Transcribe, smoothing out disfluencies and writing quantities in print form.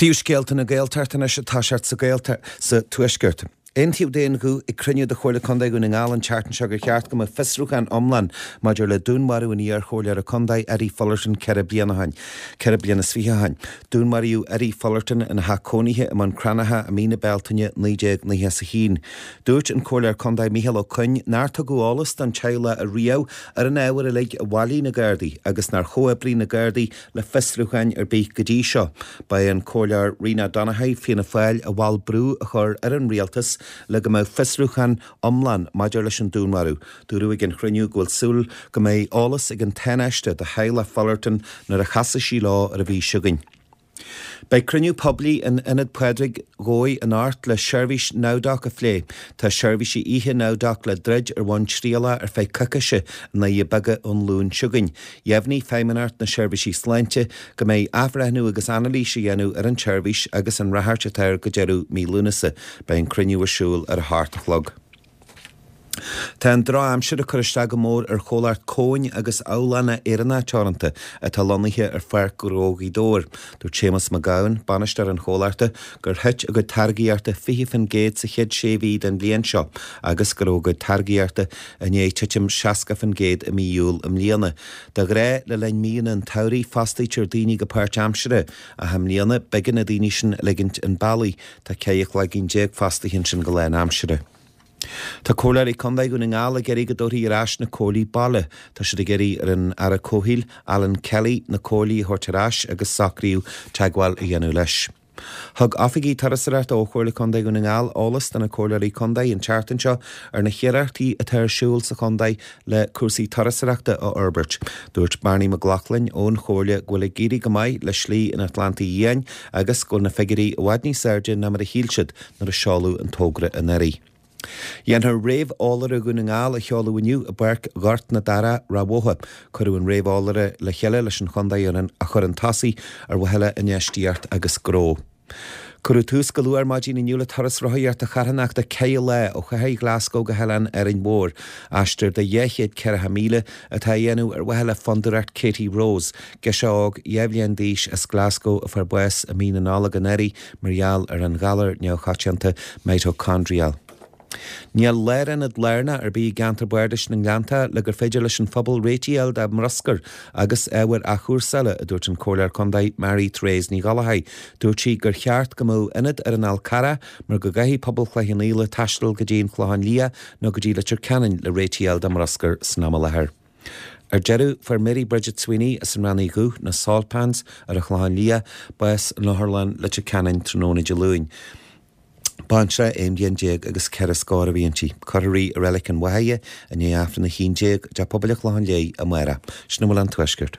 Príomhscéalta na Gaeltachta anois ag toiseacht sa Ghaeltacht sa Tuaisceart. Aontaíodh d'aon ghuth ag cruinniú de Chomhairle Contae Dhún na nGall an tseachtain seo gur cheart go mbeadh fiosrúchán iomlán maidir le dúnmharú an iar-chomhairleora contae Eddie Fullerton 4 bliana ó shin. 24 bliana ó shin. Dúnmaraíodh Eddie Fullerton ina theach cónaithe i mBun Cranncha i mí na Bealtaine 1991. Dúirt an Comhairleoir Contae Micheál Ó Coinn nár tugadh eolas don teaghlach ariamh ar an ábhar uilig a bhailigh na Gardaí agus nár chomhoibrigh na Gardaí le fiosrúcháin ar bith go dtí seo. Ba é an Comhairleoir Rena Donaghey, Fianna Fáil, a mhol brú a chur ar an Rialtas le go mbeadh fiosrúchán iomlán maidir leis an dúnmharú. Dúradh ag an chruinniú go bhfuil súil go mbeidh eolas ag an Tánaiste do theaghlach Fullerton nuair a chasfaidh sí leo ar an mhí seo chugainn. Beidh cruinniú poiblí in Ionad Phádraig Dhomhaigh anocht le seirbhís NowDoc a phlé. Tá seirbhísí oíche NowDoc le druid ar bhonn trialach ar feadh coicíse i nDoirí Beaga ón Luan seo chugainn. Dheimhnigh Feidhmeannacht na Seirbhísí Sláinte go mbeidh athbhreithniú agus anailís á dhéanamh ar an tseirbhís agus an ráchairt atá air go deireadh mí Lúnasa. Beidh an cruinniú ar siúl ar a hocht a chlog. Tá an drochaimsir ag cur isteach go mór ar chomhlacht Cóin agus Abhlána Éireannach Teoranta atá lonnaithe ar Pháirc Ghnó Ghaoth Dobhair. Dúirt Séamus Mac Gabhann, bainisteoir an chomhlachta, gur thit a gcuid táirgíochta 20% sa chéad sé mhí den bhliain seo agus go raibh a gcuid táirgíochta i ndiaidh titim 60% i mí Iúil i mbliana. De ghnáth, le linn míonna an tsamhraidh, fostaítear daoine go páirtaimseartha, ach i mbliana, b'éigean na daoine sin a ligint 'un bealaigh. Tá 14 chloigeann fostaithe ansin go lánaimseartha. Tá Comhairleoirí Contae Dhún na nGall ag iarraidh go dtabharfaí ar ais na comhairlí baile. Tá siad ag iarraidh ar an Aire Comhshaoil, Alan Kelly, na comhairlí a thabhairt ar ais agus socraíodh teagmháil a dhéanamh leis. Thug oifigigh turasóireachta ó Chomhairle Contae Dhún na nGall eolas do na Comhairleoirí Contae an tseachtain seo ar na hiarrachtaí atá ar siúl sa chontae le cúrsaí turasóireachta a fhorbairt. Dúirt Barney McLaughlin ón Chomhairle go bhfuil ag éirí go maith le Slí an Atlantaigh Fhiáin agus go bhfuil na figiúirí i bhfad níos airde ná mar a shíl siad nuair a seoladh an togra anuraidh. Dhéanfar réamheolaire Dhún na nGall a sheoladh inniu i bPáirc Ghort na Darach, Ráth Bhotha. Cuireadh an réamheolaire le chéile leis an chontae a chur chun tosaigh ar mhaithe le infheistíocht agus gnó. Cuireadh tús go luath ar maidin inniu le turas rothaíochta charthanachta ceithre lá ó chathair Ghlaschú go hOileán Árainn Mhór. Aistear de 240 míle atá á dhéanamh ar mhaithe le Fondúireacht Katie Rose, girseach óg 2 bhliain d'aois as Glasgow a fuair bás i mí na Nollag anuraidh mar gheall ar an ghalar neamhchoitianta mitochondrial. Níl lárionad lárnach ar bith i gceantar bardais na nGleanntach le gur féidir leis an phobal réitigh a fháil dá mbruscar agus ábhair athchúrsála, a dúirt an Comhairleoir Contae Mary Therese Ní Ghallchóir. Dúirt sí gur cheart go mbeadh ionad ar an Fhál Carrach mar go gcaithfidh pobal Chloich Cheann Fhaola taisteal go dtí an Clochán Liath nó go dtí Leitir Ceanainn le réitigh a fháil dá mbruscar san am i láthair. Ar deireadh, fuair Mary Bridget Sweeney as an Raithin Dhubh, na Salt Pans, ar an Chlochán Liath, bás in Otharlann Leitir Ceanainn tráthnóna Dé Luain. Baintreach aon bhliain déag agus ceithre scór a bhí inti. Cuirfear í i Reilig an Bháthaighe i ndiaidh Aifreann a 11 i dTeach Pobail an Chlocháin Léith amárach. Sin a bhfuil ón Tuaisceart.